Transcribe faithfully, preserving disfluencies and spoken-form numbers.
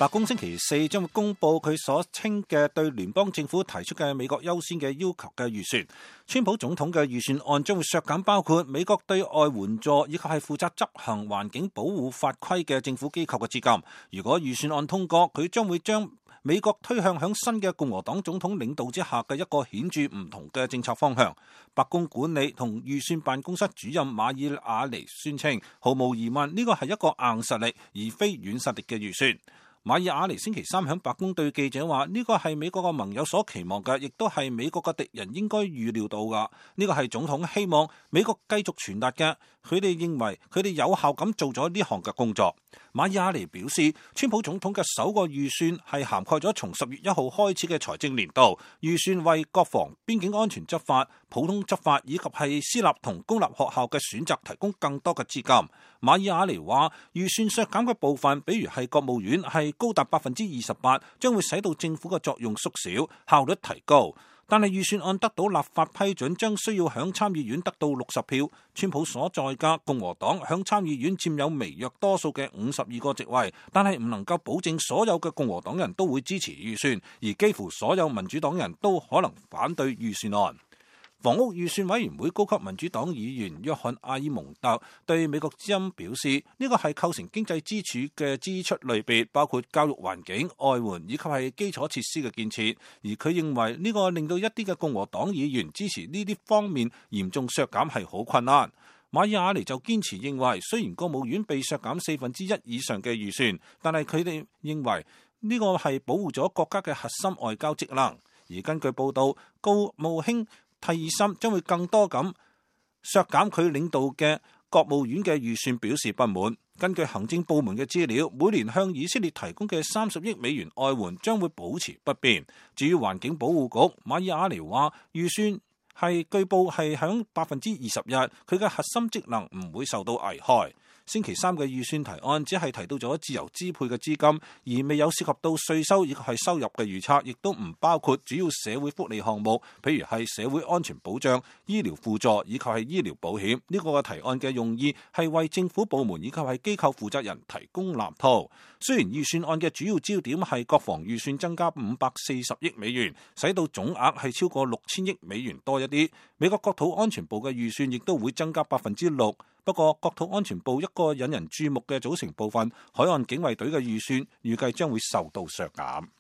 白宮星期四將會公布佢所稱嘅對聯邦政府提出嘅美國優先嘅要求嘅預算。川普總統嘅預算案將會削減包括美國對外援助以及係負責執行環境保護法規嘅政府機構嘅資金。如果預算案通過，佢將會將美國推向響新嘅共和黨總統領導之下嘅一個顯著唔同嘅政策方向。白宮管理同預算辦公室主任馬爾瓦尼宣稱，毫無疑問呢個係一個硬實力而非軟實力嘅預算。馬爾瓦尼星期三響白宮對記者話：呢個係美國嘅盟友所期望嘅，亦都係美國嘅敵人應該預料到㗎。呢個係總統希望美國繼續傳達嘅。佢哋認為佢哋有效咁做咗呢項嘅工作。馬爾瓦尼表示，川普總統嘅首個預算係涵蓋咗從十月一號開始嘅財政年度，預算為國防、邊境安全執法、普通執法以及係私立同公立學校嘅選擇提供更多嘅資金。馬爾瓦尼話，預算削減嘅部分，比如係國務院係高達百分之二十八，將會使到政府嘅作用縮小，效率提高。但係預算案得到立法批准，將需要響參議院得到六十票。川普所在嘅共和黨響參議院佔有微弱多數嘅五十二個席位，但係唔能夠保證所有嘅共和黨人都會支持預算，而幾乎所有民主黨人都可能反對預算案。房屋預算委員會高級民主黨議員約翰阿爾蒙特對美國之音表示，呢個係構成經濟支柱嘅支出類別，包括教育環境、外援以及係基礎設施嘅建設。而佢認為呢個令到一啲嘅共和黨議員支持呢啲方面嚴重削減係好困難。馬爾瓦尼就堅持認為，雖然國務院被削減四分之一以上嘅預算，但係佢哋認為呢個係保護咗國家嘅核心外交職能。而根據報道，國務卿蒂爾森將會更多咁削減佢領導嘅國務院嘅預算，表示不滿。根據行政部門嘅資料，每年向以色列提供嘅三十億美元外援將會保持不變。至於環境保護局，馬爾瓦尼話預算係據報係響百分之二十一，佢嘅核心職能唔會受到危害。星期三嘅預算提案只係提到咗自由支配嘅資金，而未有涉及到稅收以及係收入嘅預測，亦都唔包括主要社會福利項目，譬如係社會安全保障、醫療輔助以及係醫療保險。呢個嘅提案嘅用意係為政府部門以及係機構負責人提供藍圖。雖然預算案嘅主要焦點係國防預算增加五百四十億美元，使到總額係超過六千億美元多一啲。美國國土安全部嘅預算亦都會增加百分之六。不過，國土安全部一個引人注目嘅組成部分——海岸警衛隊嘅預算，預計將會受到削減。